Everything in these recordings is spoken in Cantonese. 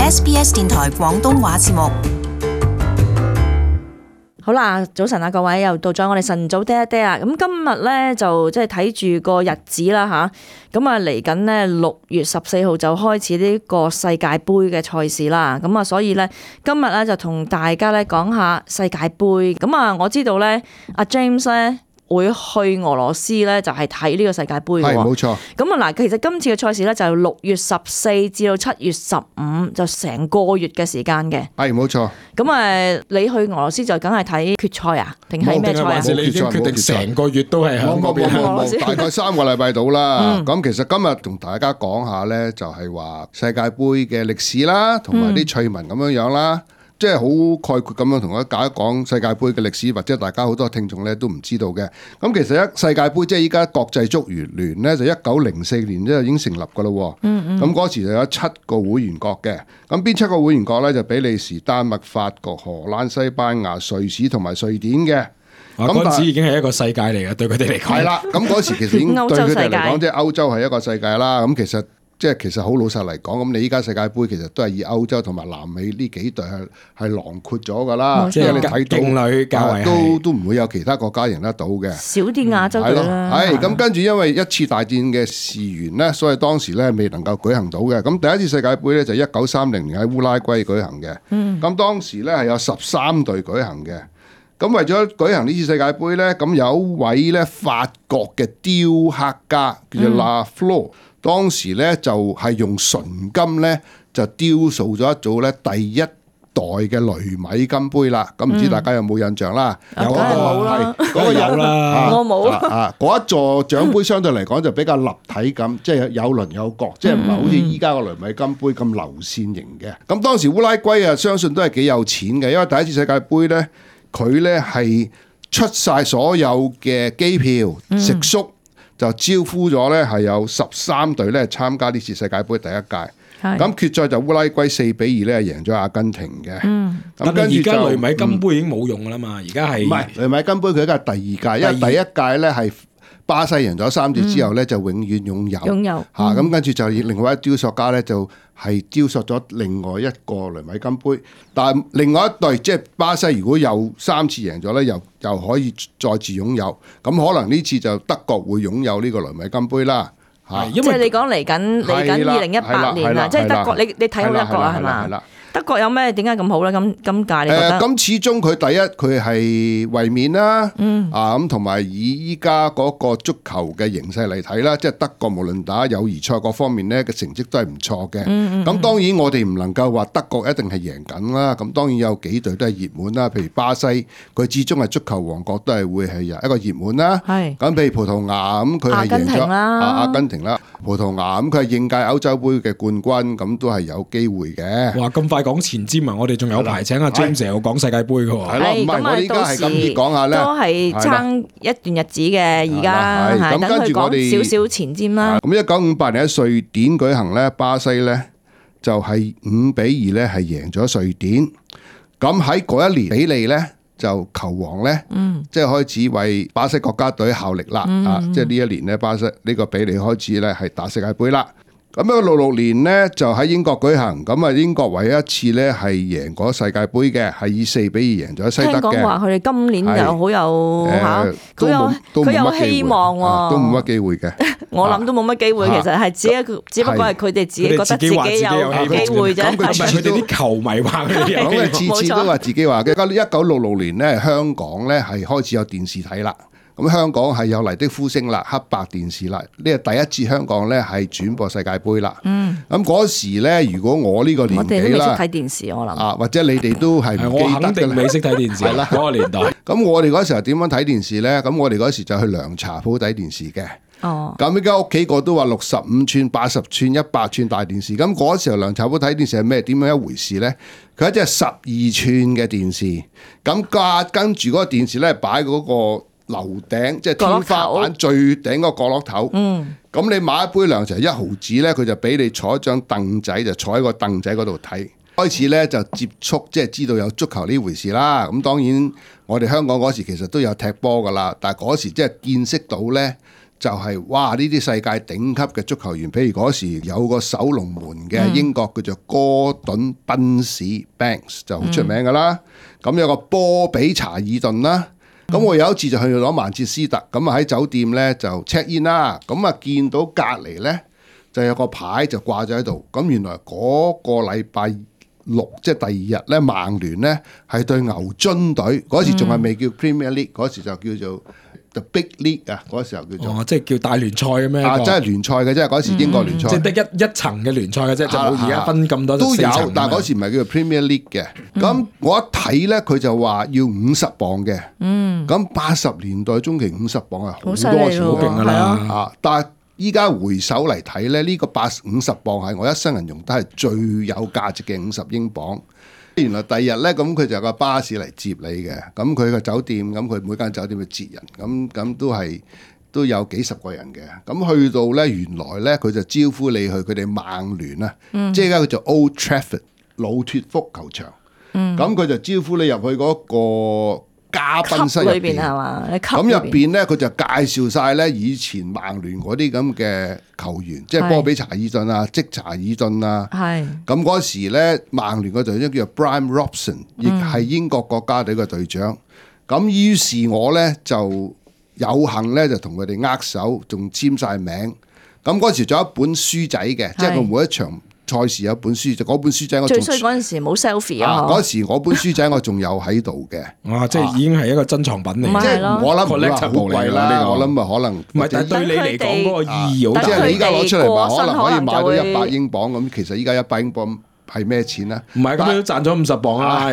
SBS 電台廣東話節目。好啦，早晨啊，各位又到咗我哋晨早嗲一嗲啊！咁今日咧就即係睇住個日子啦吓，咁啊嚟緊呢6月14號就開始呢個世界盃嘅賽事啦。咁啊，所以咧今日咧就同大家咧講下世界盃。咁啊，我知道咧阿 James 咧會去俄羅斯咧，就係睇呢個世界盃嘅喎。係冇錯。咁啊嗱，其實今次嘅賽事咧就6月14至到7月15，就成個月嘅時間嘅。係冇錯。咁你去俄羅斯就梗係睇決賽啊？定係咩賽啊？你已經決定成個月都係喺嗰邊。大概3個禮拜到啦。咁其實今日同大家講下咧，就係話世界盃嘅歷史啦，同埋啲趣聞咁樣樣啦。即係好概括咁樣同大家講世界盃嘅歷史，或者大家好多聽眾咧都唔知道嘅。咁其實世界盃即係依家國際足聯聯咧，就1904年就已經成立噶啦。咁嗰時就有7個會員國嘅。咁邊7個會員國咧？就比利時、丹麥、法國、荷蘭、西班牙、瑞士同埋瑞典嘅。嗰陣時已經係一個世界嚟嘅，對佢哋嚟講。係啦，咁嗰時其實已經對佢哋嚟講，即係歐洲係一個世界啦。咁其實好老實嚟講，咁你依家世界盃其實都係以歐洲同埋南美呢幾隊係囊括咗㗎啦，即係你睇到勁旅較為都唔會有其他國家贏得到嘅，少啲亞洲隊啦。係咁跟住，因為一次大戰嘅事緣呢，所以當時咧未能夠舉行到嘅。咁第一次世界盃咧就1930年喺烏拉圭舉行嘅。咁當時咧係有13隊舉行嘅。咁為咗舉行呢次世界盃咧，咁有一位咧法國嘅雕刻家叫做 Lafleur。當時咧就係用純金咧就雕塑咗一組咧第一代嘅雷米金杯啦。咁唔知大家有冇印象啦？有啦，嗰個有啦，我冇嗰一座獎杯相對嚟講就比較立體感，即係有輪有角，即係唔係好似依家個雷米金杯咁流線型嘅。咁當時烏拉圭啊，相信都係幾有錢嘅，因為第一次世界盃咧，佢咧係出晒所有嘅機票、食宿。就招呼咗咧，係有13隊咧參加呢次世界盃第一屆。咁決賽就烏拉圭4-2咧贏咗阿根廷嘅。咁跟住而家雷米金杯已經冇用㗎啦嘛，而家係唔係雷米金杯佢而家係第二屆，因為第一屆咧係巴西贏咗3次之後咧就永遠擁有。咁跟住就另外一雕塑家咧就係雕塑咗另外一個雷米金杯，但係另外一隊即係巴西，如果有3次贏咗咧，又可以再次擁有。咁可能呢次就德國會擁有呢個雷米金杯啦。即係你講嚟緊2018年啦，即係德國，你睇好德國啊，係嘛？德國有咩點解咁好咧？今屆你覺得？咁始終佢第一佢係衛冕啦，咁同埋以依家嗰個足球嘅形勢嚟睇啦，即係德國無論打友誼賽各方面咧嘅成績都係唔錯嘅。咁當然我哋唔能夠話德國一定係贏緊啦。咁當然有幾隊都係熱門啦，譬如巴西，佢始終係足球王國，都係會係一個熱門啦。咁譬如葡萄牙咁，佢係贏咗阿根廷啦，葡萄牙咁佢係應屆歐洲杯嘅冠軍，咁都係有機會嘅。哇！咁快講前瞻啊！我哋仲有排請阿 James 又講世界盃嘅喎。係咯，唔係我依家係咁啲講下咧，都係爭一段日子嘅。而家等佢講少少前瞻啦。咁1958年喺瑞典舉行咧，巴西咧就係5-2咧係贏咗瑞典。咁喺嗰一年，比利咧就球王咧，即係開始為巴西國家隊效力啦。即係呢一年咧，巴西呢個比利開始咧係打世界盃啦。咁66年呢，就喺英國舉行，咁啊英國唯一一次咧係贏過世界盃嘅，係以4-2贏咗西德嘅。聽講話佢哋今年就好有佢有希望喎，都冇乜機會嘅。我諗都冇乜機會，其實係只不過係佢哋自己覺得自己有機會啫。咁佢哋啲球迷話佢哋有機會，次次都話自己話嘅。1966年咧，香港咧係開始有電視睇啦。咁香港係有麗的呼聲啦，黑白電視啦，呢係第一次香港咧係轉播世界盃啦。咁嗰時咧，如果我呢個年紀啦，我哋都未識睇電視，我諗或者你哋都係唔記得嘅。我肯定未識睇電視啦，嗰個年代。咁我哋嗰時候點樣睇電視咧？咁我哋嗰時就去涼茶鋪睇電視嘅。咁依家屋企個都話65寸、80寸、100寸大電視。咁嗰時候涼茶鋪睇電視係咩？點樣一回事咧？佢一隻12寸嘅電視，咁跟住嗰個電視咧擺嗰個樓頂，即係天花板最頂個角落頭。咁你買一杯涼茶1毫紙咧，佢就俾你坐一張凳仔，就坐喺個凳仔嗰度睇。開始咧就接觸，即係知道有足球呢回事啦。咁當然我哋香港嗰時其實都有踢波噶啦，但係嗰時即係見識到咧，就係哇呢啲世界頂級嘅足球員，譬如嗰時有個守龍門嘅英國叫做哥頓賓士 Banks 就好出名噶啦。咁有個波比查爾頓啦。咁我有一次就去攞曼徹斯特，咁啊喺酒店咧就 check in 啦。咁啊見到隔離咧就有個牌就掛咗喺度。咁原來嗰個禮拜六即係第二日咧，曼聯咧係對牛津隊，嗰時仲係未叫 Premier League，嗰時就叫做 The Big League 啊，嗰時候叫做即係叫大聯賽嘅咩？真係聯賽嘅啫，嗰時英國聯賽，即係得一層嘅聯賽嘅啫，就冇而家分咁多都有，但係嗰時時唔係叫做 Premier League 嘅。咁我一睇咧，佢就話要50磅嘅。咁80年代中期50磅係好多錢，好勁㗎啦。但係依家回首嚟睇咧，呢個50磅係我一生人用得係最有價值嘅50英鎊。原來第二日咧，咁佢就有個巴士嚟接你嘅，咁佢個酒店，咁佢每間酒店去接人，咁都有幾十個人嘅，咁去到咧，原來咧佢就招呼你去佢哋曼聯啊，即係而家佢就 Old Trafford 老脫福球場，咁佢就招呼你入去嗰個嘉賓室入邊係嘛？咁入邊咧佢就介紹晒咧以前曼聯嗰啲咁嘅球員，即係波比查爾頓啊、積查爾頓啊。係。咁嗰時咧，曼聯個隊長叫做 Brian Robson， 亦係英國國家隊嘅隊長。咁於是我咧就有幸咧就同佢哋握手，仲簽晒名。咁嗰時仲有一本書仔嘅，即係佢每一場賽事有一本書，就嗰本書仔我最衰嗰陣時冇 selfie 啊！嗰時我本書仔我仲有喺度嘅，哇！即係已經係一個珍藏品嚟，即係我諗唔係好貴啦。我諗啊可能唔係，但係對你嚟講嗰個意義好大。即係你依家攞出嚟話，可能可以買到100英鎊咁。其實依家100英鎊係咩錢咧？唔係咁都賺咗50磅啦。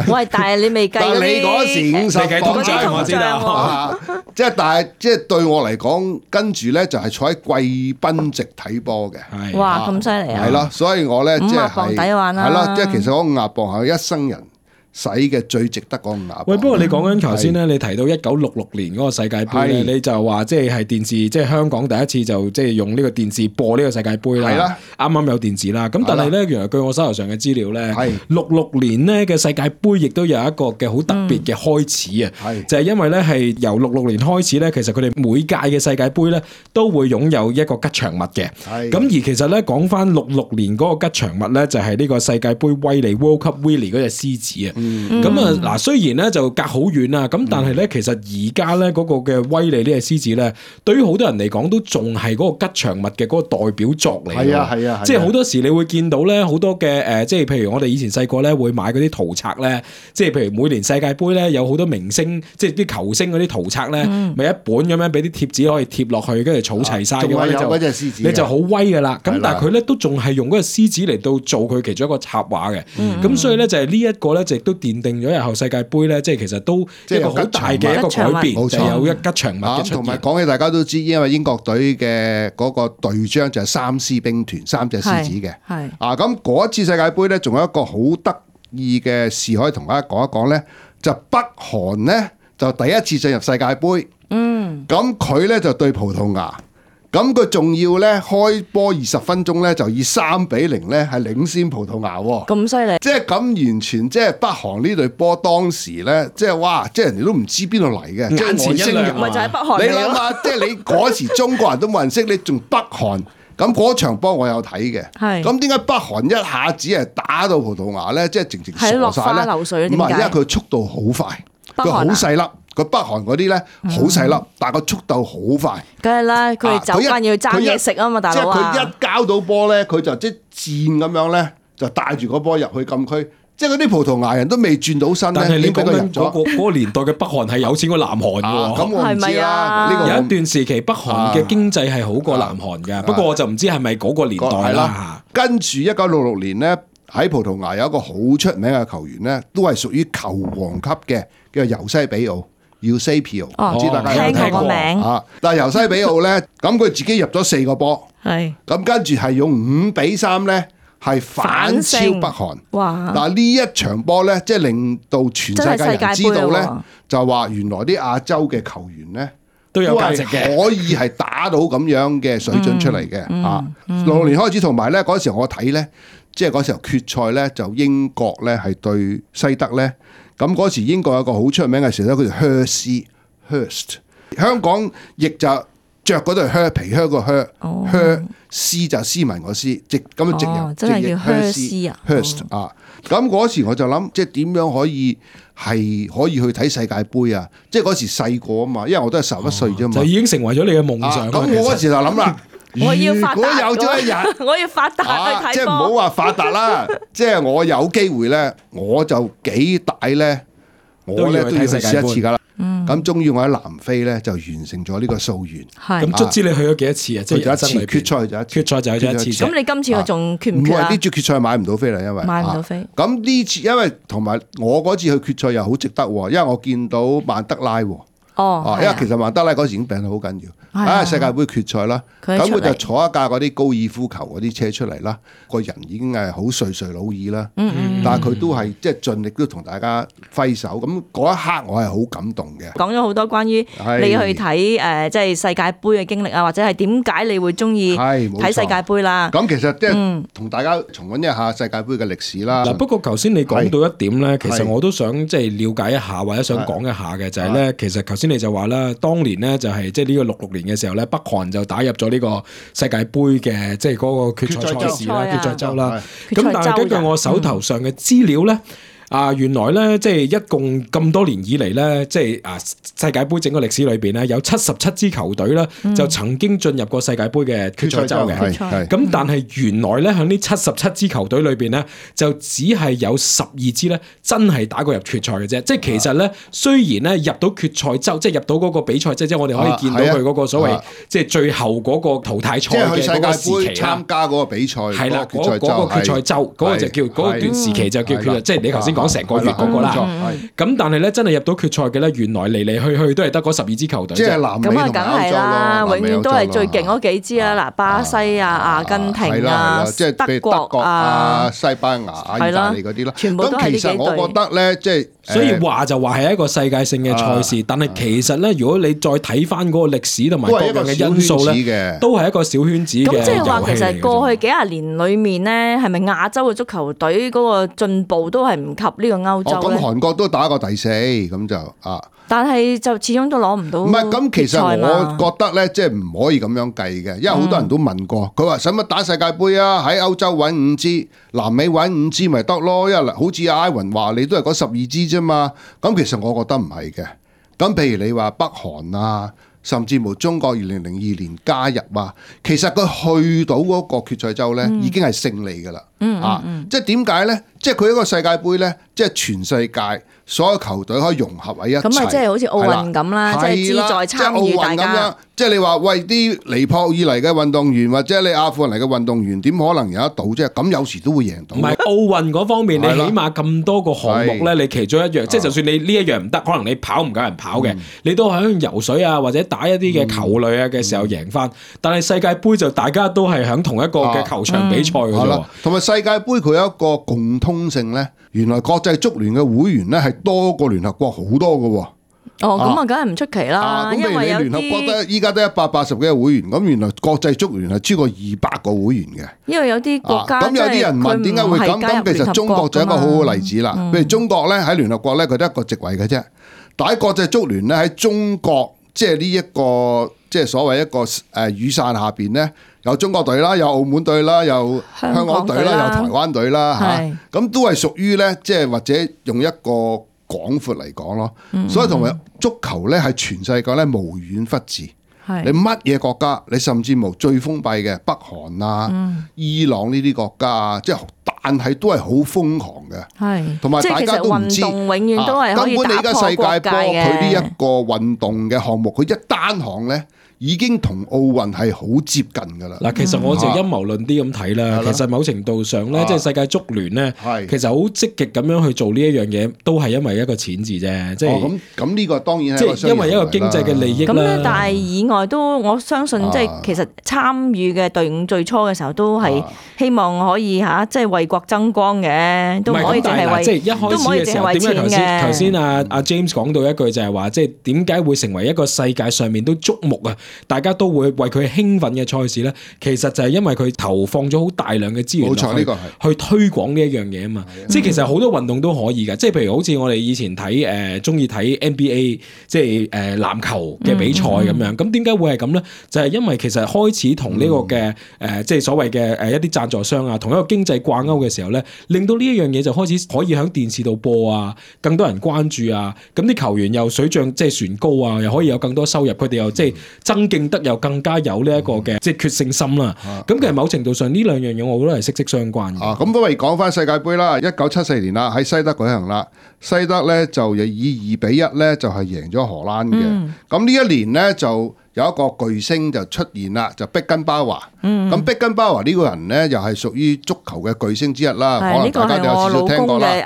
喂，但係你未計嗰啲，你嗰時50磅通脹我知道。即係但係即係對我嚟講，跟住咧就係坐喺貴賓席睇波嘅。哇！咁犀利啊！係咯，所以我咧即係50磅抵玩啦。係咯，即係其實嗰50磅係一生人使嘅最值得嗰50磅。喂，不過你講緊頭先咧，你提到1966年嗰個世界盃咧，你就話即係電視，即係香港第一次就即係用呢個電視播呢個世界盃啦。係啦，啱啱有電視啦。咁但係咧，原來據我手頭上嘅資料咧，66年咧嘅世界盃亦都有一個嘅好特別嘅開始啊。就係因為咧係由66年開始咧，其實佢哋每屆嘅世界盃咧都會擁有一個吉祥物嘅。咁而其實咧講翻66年嗰個吉祥物咧，就係呢個世界盃威利 World Cup Willie 嗰隻獅子啊。咁啊嗱，雖然咧就隔好遠啦，咁但係咧其實而家咧嗰個嘅威利呢隻獅子咧，對於好多人嚟講都仲係嗰個吉祥物嘅嗰個代表作嚟。係啊，即係好多時你會見到咧好多嘅即係譬如我哋以前細個咧會買嗰啲圖冊咧，即係譬如每年世界盃咧有好多明星，即係啲球星嗰啲圖冊咧，咪一本咁樣俾啲貼紙可以貼落去，跟住儲齊晒嘅話，你就好威噶啦。咁但係佢咧都仲係用嗰個獅子嚟到做佢其中一個插畫嘅。咁所以咧就係呢一個咧就亦都奠定咗日後世界盃咧，即係其實都一個好大嘅一個改變，就有一吉祥物嘅出現。同埋講起大家都知，因為英國隊嘅嗰個隊章就係3獅兵團，3隻獅子嘅。係咁嗰一次世界盃咧，仲有一個好得意嘅事可以同大家講一講咧，就北韓咧就第一次進入世界盃。咁佢咧就對葡萄牙。咁佢仲要咧開波20分鐘咧，就以3-0咧係領先葡萄牙喎。咁犀利！即係咁完全即係北韓呢隊波當時咧，即係哇！即係人哋都唔知邊度嚟嘅，即係外星人。咪就係北韓。你諗下，即係你嗰時中國人都冇人識，你仲北韓？咁嗰場波我有睇嘅。係。咁點解北韓一下子係打到葡萄牙咧？即係直傻晒咧。係落花流水。唔係，因為佢速度好快，佢好細粒。佢北韓嗰啲咧好細粒，但係個速度好快。梗係啦，佢哋走慣要爭嘢食啊嘛，大佬啊！即係佢一交到波咧，佢就即係箭咁樣咧，就帶住個波入去禁區。即係嗰啲葡萄牙人都未轉到身咧，但係你講緊嗰個年代嘅北韓係有錢過南韓㗎。咁我唔知啦。呢個有一段時期北韓嘅經濟係好過南韓㗎，不過我就唔知係咪嗰個年代啦。跟住1966年咧，喺葡萄牙有一個好出名嘅球員咧，都係屬於球王級嘅，叫做尤西比奧。Eusebio，唔知大家有冇聽過名啊？但係尤西比奧咧，咁佢自己入咗4個波，係咁跟住係用5-3咧，係反超北韓。哇！嗱呢一場波咧，即係令到全世界人知道咧，就話原來啲亞洲嘅球員咧都有價值嘅，可以係打到咁樣嘅水準出嚟嘅。66年開始，同埋咧嗰時候我睇咧，即係嗰時候決賽咧，就英國咧係對西德咧。咁嗰時英國有個好出名嘅時候咧，佢叫 Hurst，香港亦就着嗰對靴皮靴個靴，靴絲就斯文個絲，直咁樣直入，真係叫靴絲啊 Hurst 啊！咁嗰時我就諗，即係點樣可以去睇世界盃啊？即係嗰時細個啊嘛，因為我都係11歲啫嘛，就已經成為咗你嘅夢想。咁我嗰時就諗啦，我要發達，如果有咗一日，我要發達去睇波，即係唔好話發達啦，即係我有機會咧，我就幾大咧，我咧都要去試一次噶啦。咁終於我喺南非咧就完成咗呢個夙願。咁卒之你去咗幾多次啊？即係一次決賽就一次，決賽就去咗一次。咁你今次我仲決唔決啊？呢次決賽買唔到飛啦，因為買唔到飛。咁呢次因為同埋我嗰次去決賽又好值得，因為我見到曼德拉。因為其實曼德拉嗰時已經病得好緊要，世界盃決賽啦，咁佢就坐一架嗰啲高爾夫球嗰啲車出嚟啦，個人已經係好垂垂老矣啦，但係佢都係即係盡力都同大家揮手，咁嗰一刻我係好感動嘅。講咗好多關於你去睇即係世界盃嘅經歷啊，或者係點解你會中意睇世界盃啦？咁其實即係同大家重溫一下世界盃嘅歷史啦。嗱，不過頭先你講到一點咧，其實我都想即係了解一下或者想講一下嘅就係咧，其實頭先你就話啦，當年咧就係即係呢個66年嘅時候咧，北韓就打入咗呢個世界盃嘅即係嗰個決賽賽事啦、決賽周啦。咁但係根據我手頭上嘅資料咧。原來咧，即係一共咁多年以嚟咧，即係世界盃整個歷史裏邊咧，有77支球隊咧，就曾經進入過世界盃嘅決賽周嘅。咁但係原來咧，喺呢77支球隊裏邊咧，就只係有12支咧，真係打過入決賽嘅啫。即係其實咧，雖然咧入到決賽周，即係入到嗰個比賽，即係我哋可以見到佢嗰個所謂即係最後嗰個淘汰賽嘅嗰個時期啦。參加嗰個比賽係啦，嗰個決賽周嗰個就叫嗰段時期就叫決賽，即係你頭先講成個月嗰個啦，咁但係咧真係入到決賽嘅咧，原來嚟嚟去去都係得嗰12支球隊，即係南美同歐洲咯。咁啊，梗係啦，永遠都係最勁嗰幾支啦。嗱，巴西啊、阿根廷啊、德國啊、西班牙、意大利嗰啲啦，全部都係呢幾隊。咁其實我覺得咧，即係所以話就話係一個世界性嘅賽事，但係其實咧，如果你再睇翻嗰個歷史同埋各樣嘅因素咧，都係一個小圈子嘅遊戲嚟嘅。咁即係話，其實過去幾廿年裏面咧，係咪亞洲嘅足球隊嗰個進步都係唔及呢個歐洲咧？咁韓國都打過第4，咁就但係就始終都攞唔到。唔係咁，其實我覺得咧，即係唔可以咁樣計嘅，因為好多人都問過，佢話使乜打世界盃啊？喺歐洲揾5支，南美揾5支咪得咯？因為好似阿 Ivan 話，你都係嗰12支啫嘛。咁其實我覺得唔係嘅。咁譬如你話北韓啊，甚至乎中國2002年加入啊，其實佢去到嗰個決賽周咧，已經係勝利㗎啦。即係點解咧？即係佢一個世界盃咧，即係全世界所有球隊可以融合喺一齊。咁咪即係好似奧運咁啦，即係志在參與大家。即係你話喂，啲尼泊爾嚟嘅運動員或者你阿富汗嚟嘅運動員，點可能贏得到啫？咁有時都會贏到。唔係奧運嗰方面，你起碼咁多個項目咧，你其中一樣，即係就算你呢一樣唔得，可能你跑唔夠人跑嘅，你都喺游水啊或者打一啲嘅球類啊嘅時候贏翻。但係世界盃就大家都係喺同一個嘅球場比賽嘅啫。同埋世界盃佢有一個共通性咧，原來國際足聯嘅會員咧係多過聯合國好多嘅喎。咁啊，梗係唔出奇啦。因為有聯合國得依家得180幾個會員，咁原來國際足聯係超過200個會員嘅。因為有啲國家咁有啲人問點解會咁？咁其實中國就係一個好好例子啦。譬如中國咧喺聯合國咧，佢得一個席位嘅啫。但喺國際足聯咧喺中國，即係呢一個即係所謂一個雨傘下邊咧，有中國隊啦，有澳門隊啦，有香港隊啦，有台灣隊啦嚇。咁都係屬於咧，即係或者用一個廣闊嚟講咯，所以同埋足球咧係全世界咧無遠弗至。你乜嘢國家，你甚至乎最封閉嘅北韓啊、伊朗呢啲國家啊，即係但係都係好瘋狂嘅。同埋大家都唔知，運動永遠都係可以打破國界嘅。根本你而家世界波佢呢一個運動嘅項目，佢一單項咧，已經同奧運係好接近㗎啦。嗱，其實我就陰謀論啲咁睇啦。其實某程度上咧，即係世界足聯咧，其實好積極咁樣去做呢一樣嘢，都係因為一個錢字啫。即係咁呢個當然係即係因為一個經濟嘅利益啦。咁咧，但係以外都我相信，即係其實參與嘅隊伍最初嘅時候都係希望可以嚇，即係為國爭光嘅，都唔可以淨係為即係一開始嘅時候，點解頭先阿 James 講到一句就係話，即係點解會成為一個世界上面都矚目啊？大家都會為佢興奮嘅賽事咧，其實就係因為佢投放咗好大量嘅資源去推廣呢一樣嘢啊嘛。即係其實好多運動都可以㗎，即係譬如好似我哋以前睇中意睇 NBA， 即係籃球嘅比賽咁樣。咁點解會係咁咧？就係因為其實開始同呢個嘅即係所謂嘅一啲贊助商啊，同一個經濟掛鈎嘅時候咧，令到呢一樣嘢就開始可以喺電視度播啊，更多人關注啊，咁啲球員又水漲即係船高啊，又可以有更多收入，佢哋又即係增勁得又更加有呢一個嘅即係決勝心啦。咁其實某程度上呢兩樣嘢，我覺得係息息相關嘅。咁不如講翻世界盃啦，1974年啦，喺西德舉行啦，西德咧就以2-1咧就係贏咗荷蘭嘅。咁呢一年咧就有一個巨星就出現啦，就碧根包華。咁碧根包華呢個人咧，又係屬於足球嘅巨星之一啦。可能大家都有少少聽過啦。係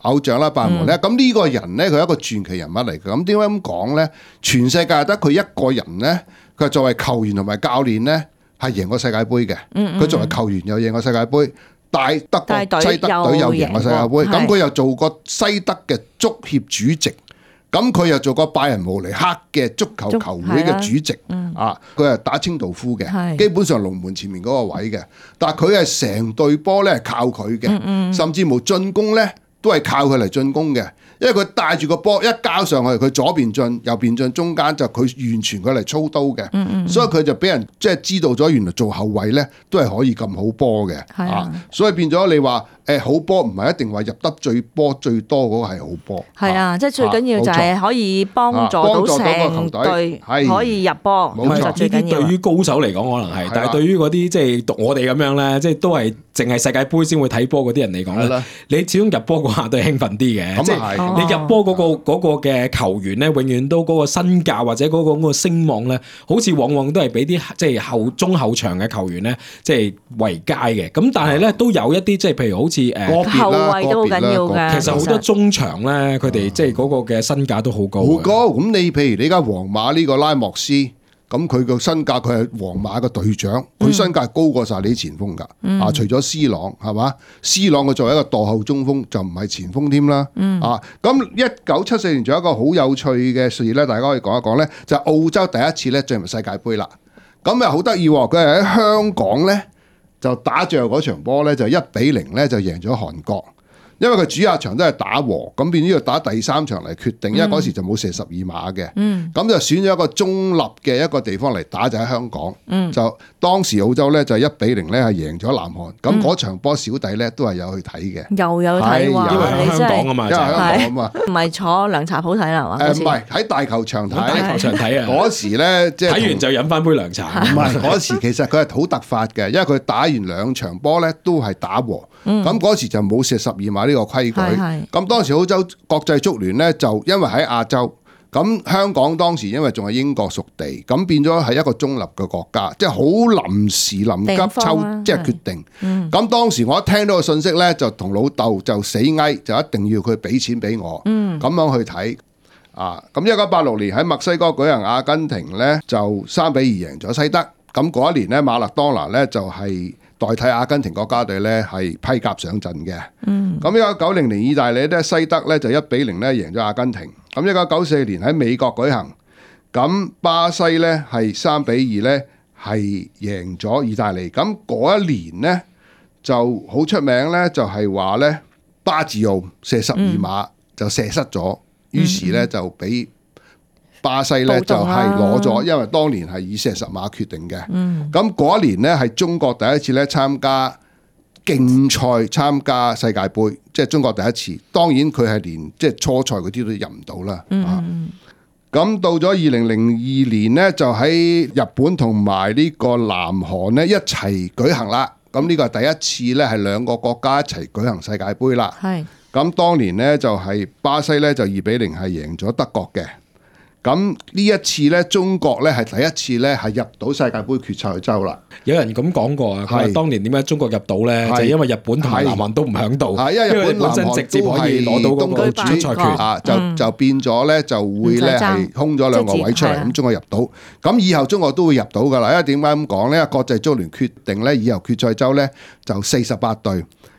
偶像啦，拜仁咧。咁呢個人咧，佢係一個傳奇人物嚟嘅。咁點解咁講咧？全世界得佢一個人咧，佢作為球員同埋教練咧，係贏過世界盃嘅。佢作為球員又贏過世界盃，帶德國西德隊又贏過世界盃。咁佢又做過西德嘅足協主席。咁佢又做過拜仁慕尼黑嘅足球球會嘅主席，佢係打清道夫嘅，基本上龍門前面嗰個位嘅，但係佢係成隊波咧係靠佢嘅，甚至乎進攻咧都係靠佢嚟進攻嘅。因為佢帶住個波一交上去，佢左邊進右邊進，中間就佢完全佢嚟操刀嘅，所以佢就俾人即係知道咗，原來做後衞咧都係可以咁好波嘅，所以變咗你話好波唔係一定話入得波最多嗰個係好波，係啊，即係最緊要就係可以幫助到成隊可以入波，冇錯，最緊要。對於高手嚟講可能係，但係對於嗰啲即係讀我哋咁樣咧，即係都係淨係世界盃先會睇波嗰啲人嚟講咧，你始終入波嗰下都係興奮啲嘅，即係。你入波嗰個嘅球員咧，永遠都嗰個身價或者嗰個聲望咧，好似往往都係俾啲即係中後場嘅球員咧，即係為佳嘅。咁但係咧都有一啲即係譬如好似後衞都好緊要嘅。其實好多中場咧，佢哋即係嗰個嘅身價都好高。好高。咁你譬如你而家皇馬呢個拉莫斯。咁佢個身價，佢係皇馬嘅隊長，佢身價高過晒你啲前鋒㗎。除咗 C 朗係嘛？C 朗佢作為一個墮後中鋒，就唔係前鋒添啦。咁1974年仲有一個好有趣嘅事咧，大家可以講一講咧，就係澳洲第一次咧進入世界盃啦。咁又好得意喎，佢係喺香港咧就打最後嗰場波咧，就1-0咧就贏咗韓國。因為佢主客場都係打和，咁變咗要打第3場嚟決定，因為嗰時就冇射12碼嘅，咁就選咗一個中立嘅一個地方嚟打，就喺香港。就當時澳洲咧就1-0咧係贏咗南韓，咁嗰場波小弟咧都係有去睇嘅，又有睇喎，因為香港啊嘛，因為香港啊嘛，唔係坐涼茶鋪睇啦嘛，唔係喺大球場睇，大球場睇啊！嗰時咧即係睇完就飲翻杯涼茶。唔係嗰時其實佢係好突發嘅，因為佢打完2場波咧都係打和，咁嗰時就冇射12碼呢個規矩。咁當時澳洲國際足聯咧就因為喺亞洲，咁香港當時因為仲係英國屬地，咁變咗係一個中立嘅國家，即係好臨時臨急抽即係決定。咁當時我一聽到個信息咧，就同老豆就死嗌，就一定要佢俾錢俾我，咁樣去睇。咁1986年喺墨西哥舉行阿根廷咧就3-2贏咗西德。咁嗰一年咧馬勒當拿咧就係代替阿根廷國家隊咧係披甲上陣嘅。咁1990年意大利咧西德咧就1-0咧贏咗阿根廷。咁1994年喺美國舉行，咁巴西咧係3-2咧係贏咗意大利。咁嗰一年咧就好出名咧，就係話咧巴治奧射12碼就射失咗，於是咧就俾巴西咧就係攞咗，因為當年係以射10碼決定嘅。咁嗰一年咧係中國第一次咧參加競賽參加世界盃，即係中國第一次。當然佢係連即係初賽嗰啲都入唔到啦。咁到咗2002年咧，就喺日本同埋呢個南韓咧一齊舉行啦。咁呢個係第一次咧係兩個國家一齊舉行世界盃啦。咁當年咧就係巴西咧就2-0係贏咗德國嘅。咁呢一次咧，中國咧係第一次咧係入到世界盃決賽周啦。有人咁講過啊，佢話當年點解中國入到咧，就因為日本同埋南韓都唔響度，因為日本本身直接可以攞到嗰個出賽權啊，就變咗咧就會咧係空咗兩個位出嚟，咁中國入到。咁以後中國都會入到噶啦。因為點解咁講咧？國際足聯決定咧，以後決賽周咧就48隊，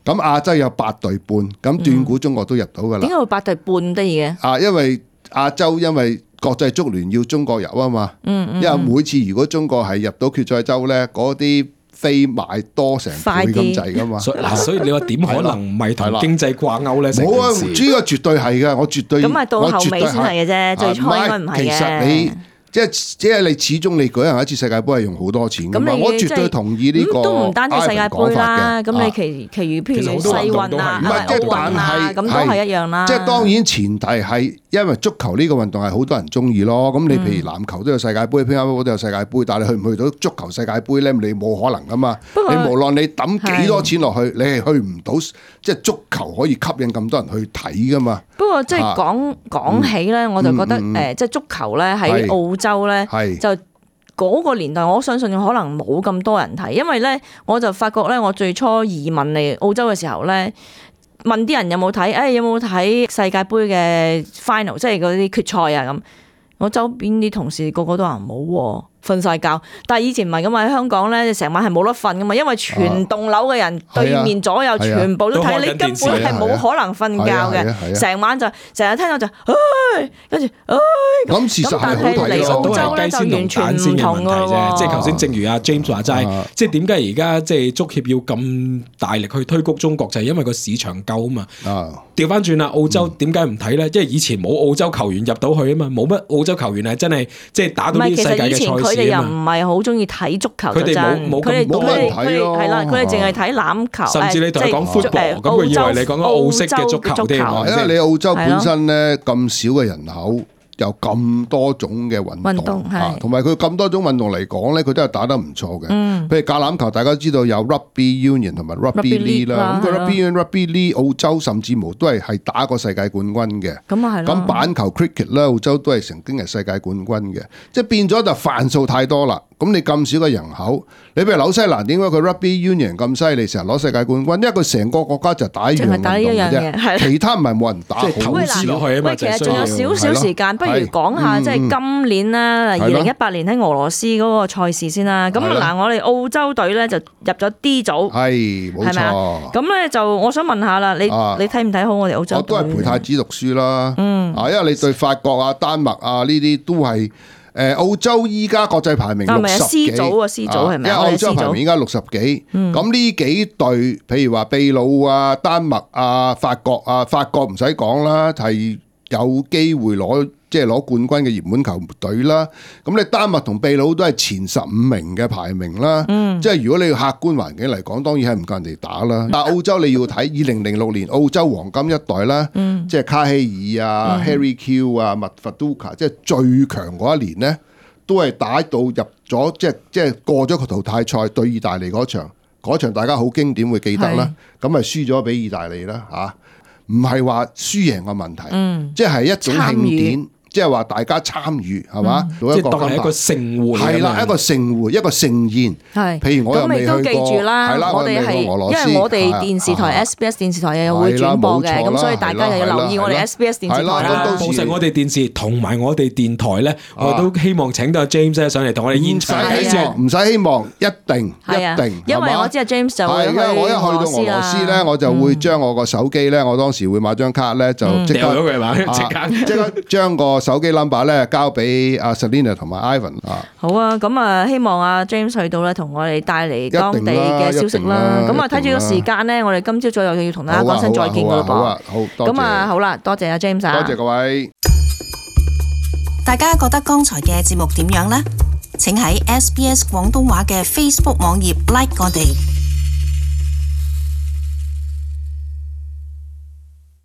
咁亞洲有8隊半，咁斷估中國都入到噶啦。點解會8隊半得意嘅？因為亞洲因為國際足聯要中國入啊嘛，因為每次如果中國係入到決賽周咧，嗰啲飛買多成倍咁滯噶嘛。所以你話點可能唔係同經濟掛鈎咧？冇啊，呢個絕對係嘅，我絕對。咁啊，到後尾先係嘅啫，最初應該唔係嘅。其實你即係你始終你舉行一次世界盃係用好多錢㗎嘛，我絕對同意呢個。都唔單止世界盃啦，咁你其餘譬如世運啊、奧運啊，咁都係一樣啦。即係當然前提係因為足球呢個運動係好多人中意咯。咁你譬如籃球都有世界盃，乒乓波都有世界盃，但係你去唔去到足球世界盃咧？你冇可能㗎嘛。你無論你抌幾多錢落去，你係去唔到，即係足球可以吸引咁多人去睇㗎嘛。不過即係講起咧，我就覺得即係足球咧喺澳洲咧就嗰個年代，我相信可能冇咁多人睇，因為咧我就發覺咧，我最初移民嚟澳洲嘅時候咧，問啲人有冇睇，有冇睇世界盃嘅 final， 即係嗰啲決賽啊咁。我周邊啲同事個個都話冇瞓晒覺，但係以前唔係咁啊！喺香港咧，成晚係冇得瞓噶嘛，因為全棟樓嘅人對面左右全部都睇，你根本係冇可能瞓覺嘅，成晚就成日聽到就跟住咁事實係好睇嚟澳洲咧就完全唔同嘅喎。即係頭先正如阿 James 話齋，即係點解而家即係足協要咁大力去推谷中國，就係因為個市場夠啊嘛。調翻轉啦，澳洲點解唔睇咧？即係以前冇澳洲球員入到去啊嘛，冇乜澳洲球員係真係即係打到啲世界嘅賽事啊嘛。佢哋又唔係好中意睇足球，佢哋冇乜人睇咯。係啦，佢哋淨係睇欖球，甚至你同佢講 football，咁佢以為你講緊澳式嘅足球添。因為你澳洲本身咧咁少嘅人口，有咁多種嘅運動，同埋佢咁多種運動嚟講咧，佢都係打得唔錯嘅。譬如橄欖球，大家知道有 Rugby Union 同埋 Rugby League 啦。咁佢 Rugby Union、Rugby League 澳洲甚至乎都係打過世界冠軍嘅。咁啊係。咁板球 Cricket 咧，澳洲都係曾經係世界冠軍嘅。即係變咗就範數太多啦。咁你咁少嘅人口，你譬如紐西蘭點解佢 Rugby Union 咁犀利，成日攞世界冠軍？因為佢成個國家就打一樣運動嘅啫，其他唔係冇人打。即係投資落去啊嘛。喂，其實仲有少少時間，不如講下即係今年啦，2018年喺俄羅斯嗰個賽事先啦。咁嗱，我哋澳洲隊咧就入咗 D 組，係冇錯。咁咧就我想問下啦，你睇唔睇好我哋澳洲隊？我都係陪太子讀書啦。因為你對法國啊、丹麥啊呢啲都係。澳洲依家國際排名60幾，C 組係咪？因為澳洲排名依家60幾，咁呢幾隊，譬如話秘魯啊、丹麥啊、法國唔使講啦，係有機會攞冠軍嘅熱門球隊啦。咁你丹麥同秘魯都係前15名嘅排名啦。即係如果你要客觀環境嚟講，當然係唔夠人哋打啦。但係澳洲你要睇2006年澳洲黃金一代啦，即係卡希爾啊、Harry Q 啊、麥法杜卡，即係最強嗰一年呢，都係打到入咗，即係過咗個淘汰賽對意大利嗰場大家好經典會記得啦。咁咪輸咗俾意大利啦嚇，唔係話輸贏嘅問題，即係一種慶典。即係話大家參與係嘛？即係當係一個盛會，係啦，一個盛會，一個盛宴。係，譬如我又未去過，係啦，我哋係因為我哋電視台 SBS 電視台又會轉播嘅，咁所以大家又要留意我哋 SBS 電視台啦。到時我哋電視同埋我哋電台咧，我都希望請到阿 James 上嚟同我哋現場睇住。唔使希望，一定，因為我知阿 James 就會去我一去到俄羅斯咧，我就會將我個手機咧，我當時會買張卡咧，就即刻掉咗佢嘛，即刻將個手機 number 咧交俾阿 Selina 同埋 Ivan 啊。好啊，咁啊希望阿 James 去到咧，同我哋帶嚟當地嘅消息啦。咁啊睇住個時間咧，我哋今朝早又要同大家講聲再見噶啦噃。好啊，好，多謝。咁啊好啦，多謝阿 James 啊。多謝各位。大家覺得剛才嘅節目點樣呢？請喺SBS 廣東話嘅 Facebook 網頁 like 我哋。